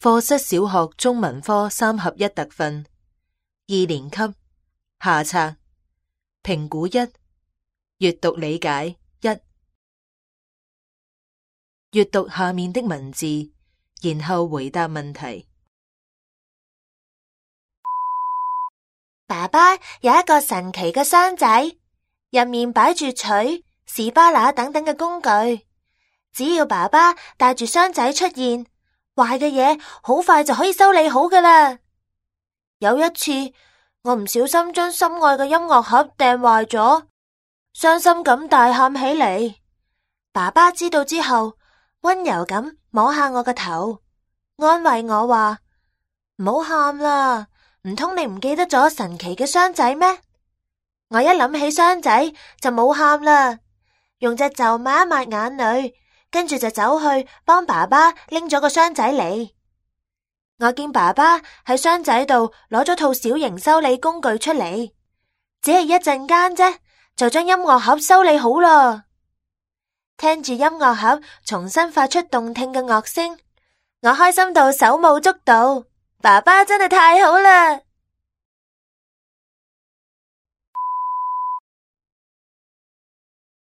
課室小學中文科3合1特訓2年級下冊評估1閱讀理解1閱讀下面的文字，然後回答問題。爸爸有一個神奇嘅箱仔，入面擺住錘、士巴拿等等嘅工具。只要爸爸帶住箱仔出現，壞嘅嘢好快就可以修理好㗎喇。有一次，我唔小心將心愛嘅音樂盒掟壞咗，傷心咁大喊起嚟。爸爸知道之後，溫柔咁摸下我個頭，安慰我話：唔好喊啦，唔通你唔記得咗神奇嘅箱仔咩？我一諗起箱仔就冇喊啦，用隻袖抹一抹眼淚，跟住就走去幫爸爸拎咗個箱仔嚟。我見爸爸喺箱仔度攞咗套小型修理工具出嚟，只係一陣間啫，就將音樂盒修理好啦。聽住音樂盒重新發出動聽嘅樂聲，我開心到手舞足蹈。爸爸真係太好啦！